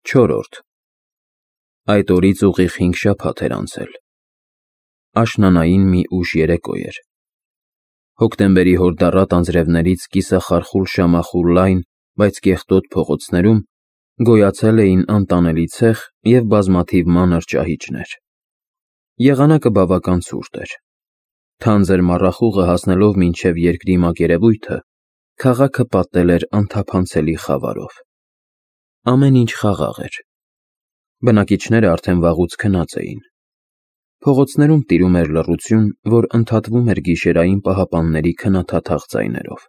4. Այդ օրից ուղիղ 5 շաբաթ էր անցել։ Աշնանային մի ուշ երեկո էր։ Հոկտեմբերի հորդառատ անձրևներից կիսախարխուլ շամախուր լայն, բայց կեղտոտ փողոցներում գոյացել էին անտանելի ցեխ և բազմաթիվ մանր ճահիճներ։ Եղանակը բավական ցուրտ էր։ Թանձր մառախուղը հասնելով մինչև երկրի մակերևույթը, քաղաքը պատել էր անթափանցելի խավարով։ Ամեն ինչ խաղաղ էր։ Բնակիչները արդեն վաղուց քնած էին։ Փողոցներում տիրում էր լռություն, որ ընդհատվում էր գիշերային պահապանների քնաթաթախ ձայներով։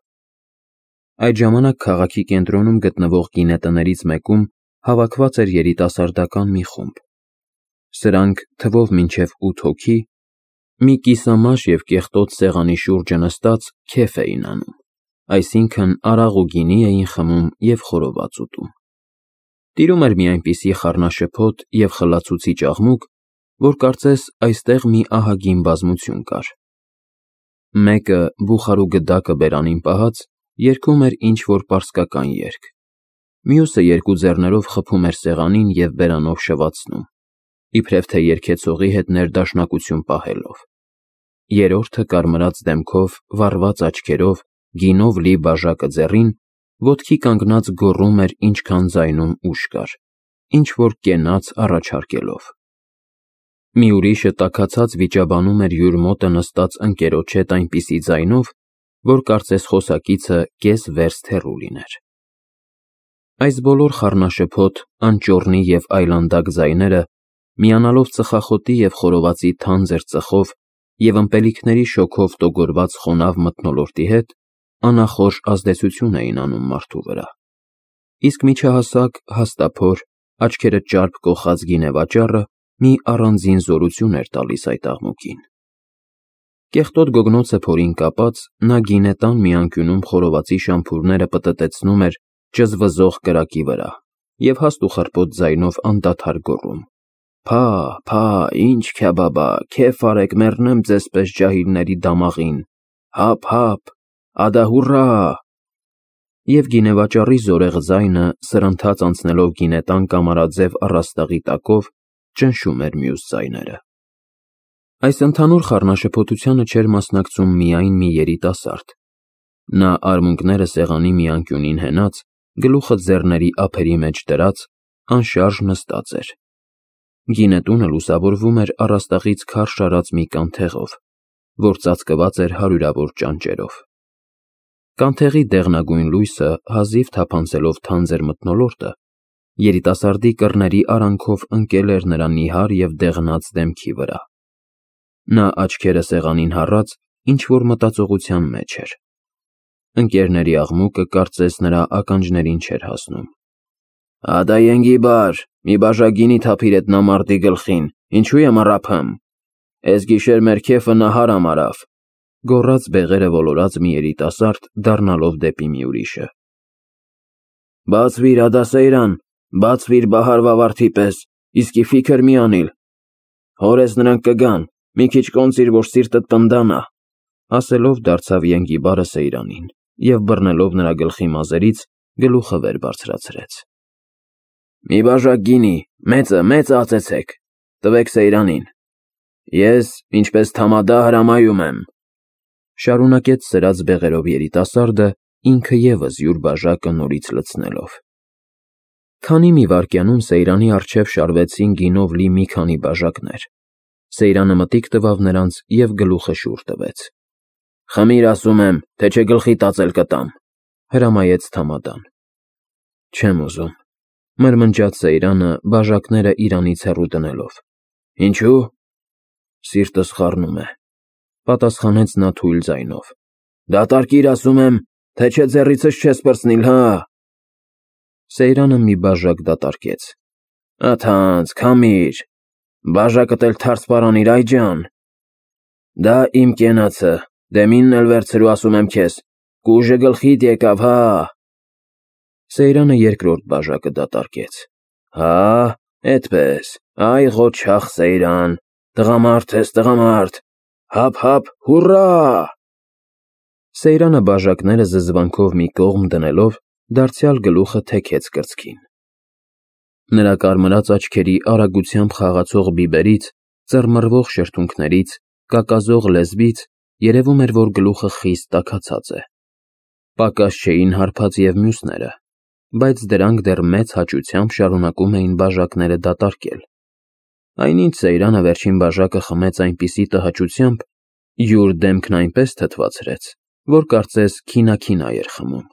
Այդ ժամանակ քաղաքի կենտրոնում գտնվող գինետներից մեկում հավաքված էր երիտասարդական մի խումբ։ Սրանք թվով մինչև 8 հոգի, մի կիսամաշ և կեղտոտ սեղանի շուրջը նստած քեֆ էին անում, այսինքն արաղ ու գինի էին խմում և խորոված ուտում։ Տիրում էր մի այնպիսի խառնաշփոթ և խլացուցիչ աղմուկ, որ կարծես այստեղ մի ահագին բազմություն կար։ Մեկը, բուխար ու գդակը բերանին պահած, երգում էր ինչ-որ պարսկական երգ, մյուսը երկու ձեռներով խփում էր սեղանին և բերանով շվացնում, իբրև թե երգեցողի հետ ներդաշնակություն պահելով։ Երրորդը կարմրած դեմքով, վառված աչքերով, գինով լի բաժակը ձեռին, ոտքի կանգնած գոռում էր ինչքան ձայնում ուժ կար, ինչ-որ կենաց առաջարկելով։ Մի ուրիշը տաքացած վիճաբանում էր յուր մոտը նստած ընկերոջ հետ այնպիսի ձայնով, որ կարծես խոսակիցը կես-վերստ հեռու լիներ։ Այս բոլոր խառնաշփոթ, անճոռնի և այլանդակ ձայները, միանալով ծխախոտի և խորովածի թանձր ծխով և ըմպելիքների շոգով տոգորված խոնավ մթնոլորտի հետ, անախորժ ազդեցություն էին անում մարդու վրա։ Իսկ միջահասակ, հաստափոր, աչքերը ճարպ կոխած գինեվաճառը մի առանձին զորություն էր տալիս այդ աղմուկին։ Կեղտոտ գոգնոցը փորին կապած, նա գինետան մի անկյունում խորովածի շամփուրները պտտեցնում էր ճզվզող կրակի վրա և հաստ ու խռպոտ ձայնով անդադար գոռում. «Փա, փա, ինչ քյաբաբա, քեֆ արեք, մեռնեմ ձեզ պես ջահիլների դամաղին, հափ, հափ, ադա հուռա»։ Եվ գինեվաճառի զորեղ ձայնը, սրընթաց անցնելով գինետան կամարաձև առաստաղի տակով, ճնշում էր մյուս ձայները։ Այս ընդհանուր խառնաշփոթությանը չէր մասնակցում միայն մի երիտասարդ։ Նա արմունկները սեղանի մի անկյունին հենած, գլուխը ձեռների ափերի մեջ դրած, անշարժ նստած էր։ Գինետունը լուսավորվում էր առաստաղից քարշ արած մի կանթեղով, որ ծածկված էր հարյուրավոր ճանճերով։ Կանթեղի դեղնագույն լույսը հազիվ թափանցելով թանձր մթնոլորտը, երիտասարդի կռների արանքով ընկել էր նրա նիհար և դեղնած դեմքի վրա։ Նա աչքերը սեղանին հառած, ինչ-որ մտածողության մեջ էր։ Ընկերների աղմուկը կարծես նրա ականջներին չէր հասնում։ «Ադա Ենգիբար, մի բաժակ գինի թափիր էտ նամարդի գլխին, ինչու եմ առափեմ։ Էս գիշեր մեր քեֆը նահարամ արավ», գոռաց բեղերը ոլորած մի երիտասարդ, դառնալով դեպի մի ուրիշը։ «Բացվիր, ադա Սեյրան, բացվիր բահար վավարդի պես, իսկի ֆիքր մի անիլ։ Հորես նրանք կգան, մի քիչ կոնծիր, որ սիրտդ պնդանա», ասելով դարձավ Ենգիբարը Սեյրանին և բռնելով նրա գլխի մազերից, գլուխը վեր բարձրացրեց։ «Մի բաժակ գինի, մեծը ածեցեք, տվեք Սեյրանին։ Ես, ինչպես թամադա, հրամայում եմ», շարունակեց սրած բեղերով երիտասարդը, ինքը ևս յուր բաժակը նորից լցնելով։ Քանի մի վայրկյանում Սեյրանի առջև շարվեցին գինով լի մի քանի բաժակներ։ Սեյրանը մտիկ տվավ նրանց և գլուխը շուռ տվեց։ «Խմիր, ասում եմ, թե չէ գլխի տածել կտամ», հրամայեց թամադան։ «Չեմ ուզում», մրմնջաց Սեյրանը, բաժակները իրանից հեռու դնելով։ «Ինչու՞»։ «Սիրտս խառնում է», պատասխանեց նա թույլ ձայնով։ «Դատարկիր, ասում եմ, թե չէ ձեռիցս չես պրծնիլ, հա»։ Սեյրանը մի բաժակ դատարկեց։ «Աթանց, քամիր, բաժակդ էլ թարս պարանիր, այ ջան։ Դա իմ կենացը, դեմինն էլ վերցրու, ասում եմ քեզ, կուժը գլխիդ եկավ, հա»։ Սեյրանը երկրորդ բաժակը դատարկեց։ «Հա, էդպես, այ ղոչաղ Սեյրան, տղամարդ ես, տղամարդ, հափ, հափ, հուռա»։ Սեյրանը բաժակները զզվանքով մի կողմ դնելով, դարձյալ գլուխը թեքեց կրծքին։ Նրա կարմրած աչքերի արագությամբ խաղացող բիբերից, ծռմռվող շրթունքներից, կակազող լեզվից երևում էր, որ գլուխը խիստ տաքացած է։ Պակաս չէին հարբած և մյուսները, բայց դրանք դեռ մեծ հաճությամբ շարունակում էին բաժակները դատարկել։ Այնինչ Սեյրանը վերջին բաժակը խմեց այնպիսի տհաճությամբ, յուր դեմքն այնպես թթվածրեց, որ կարծես քինաքինա էր խմում։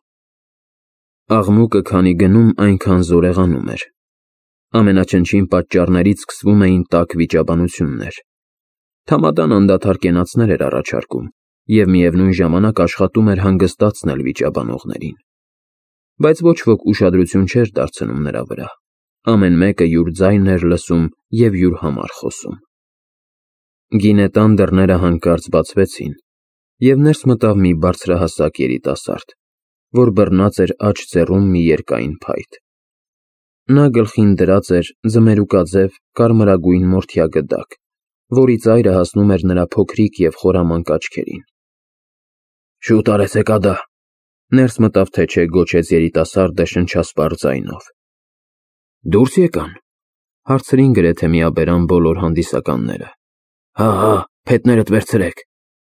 Աղմուկը քանի գնում, այնքան զորեղանում էր։ Ամենաչնչին պատճառներից սկսվում էին տաք վիճաբանություններ։ Թամադան անդադար կենացներ էր առաջարկում և միևնույն ժամանակ աշխատում էր հանգստացնել վիճաբանողներին։ Բայց ոչ ոք ուշադրություն չէր դարձնում նրա վրա։ Ամեն մեկը յուր ձայնն էր լսում և յուր համար խոսում։ Գինետան դռները հանկարծ բացվեցին, և ներս մտավ մի բարձրահասակ երիտասարդ, որ բռնած էր աջ ձեռում մի երկայն փայտ։ Նա գլխին դրած էր ձմերուկաձև կարմրագույն մորթյա գդակ, որի ծայրը հասնում էր նրա փոքրիկ և խորամանկ աչքերին։ «Շուտ արեցեք ադա», ներս մտավ թե չէ գոչեց երիտասարդը շնչասպառ ձայնով։ «Դուրս եկան», հարցրին գրեթե միաբերան բոլոր հանդիսականները։ «Հա, փետներդ վերցրեք»,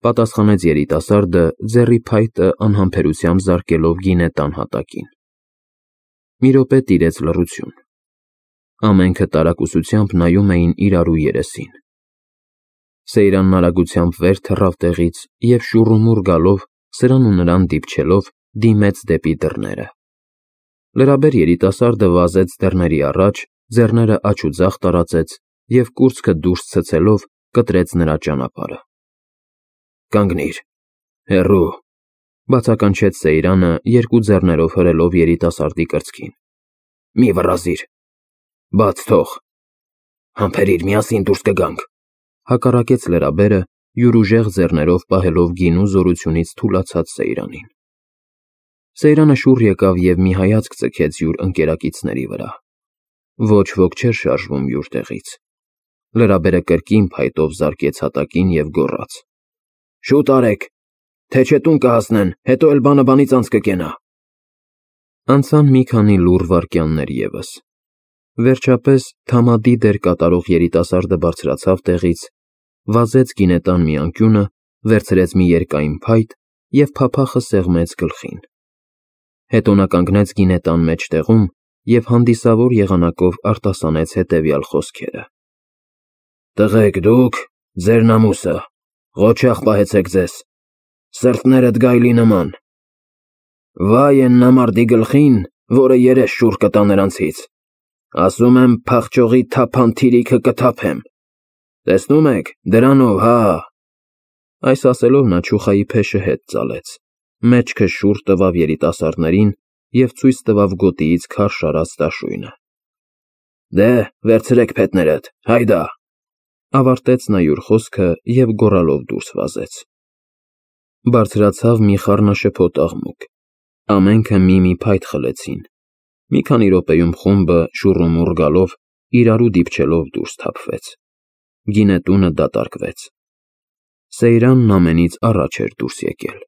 պատասխանեց երիտասարդը, ձեռի փայտը անհամբերությամբ զարկելով գինետան հատակին։ Մի րոպե տիրեց լռություն։ Ամենքը տարակուսությամբ նայում էին իրարու երեսին։ Սեյրանն արագությամբ վեր թռավ տեղից և շուռումուռ գալով, սրան ու նրան դիպչելով, դիմեց դեպի դռները։ Լրաբեր երիտասարդը վազեց դռների առաջ, ձեռները աջ ու ձախ տարածեց և կուրծքը դուրս ցցելով կտրեց նրա ճանապարհը։ «Կանգնիր, հեռու», բացականչեց Սեյրանը, երկու ձեռներով հրելով երիտասարդի կրծքին։ «Մի վռազիր, բաց թող»։ «Համբերիր, միասին դուրս կգանք», հակառակեց լրաբերը, յուր ուժեղ ձեռներով պահելով գինու զորությունից թուլացած Սեյրանին։ Սեյրանը շուռ եկավ և մի հայացք ձգեց յուր ընկերակիցների վրա։ Ոչ ոք չէր շարժվում յուր տեղից։ Լրաբերը կրկին փայտով զարկեց հատակին և գոռաց. «Շուտ արեք, թե չէ տուն կհասնեն, հետո էլ բանը բանից անց կկենա»։ Անցան մի քանի լուռ վայրկյաններ ևս։ Վերջապես թամադի դեր կատարող երիտասարդը բարձրացավ տեղից, վազեց գինետան մի անկյունը, վերցրեց մի երկայն փայտ և փափախը սեղմեց գլխին։ Հետո նա կանգնեց գինետան մեջտեղում և հանդիսավոր եղանակով արտասանեց հետևյալ խոսքերը. «Տղեկ, դուք, ձեր նամուսը, ղոչաղ պահեցեք ձեզ, սրտներդ գայլի նման։ Վայ են նամարդի գլխին, որը երես շուռ կտա նրանցից։ Ասում եմ, փախչողի թափան թիրիքը կթափեմ։ Տեսնում եք, դրանով, հա»։ Այս ասելով նա չուխայի փեշը հետ ծալեց, մեջքը շուռ տվավ երիտասարդներին և ցույց տվավ գոտիից քարշ արած դաշույնը։ «Դե, վերցրեք փետներդ, հայդա», ավարտեց նա յուր խոսքը և գոռալով դուրս վազեց։ Բարձրացավ մի խառնաշփոթ աղմուկ։ Ամենքը մի փայտ խլեցին։ Մի քանի րոպեում խումբը, շուռումուռ գալով, իրարու դիպչելով դուրս թափվեց։ Գինետունը դատարկվեց։ Սեյրանն ամենից առաջ էր դուրս եկել։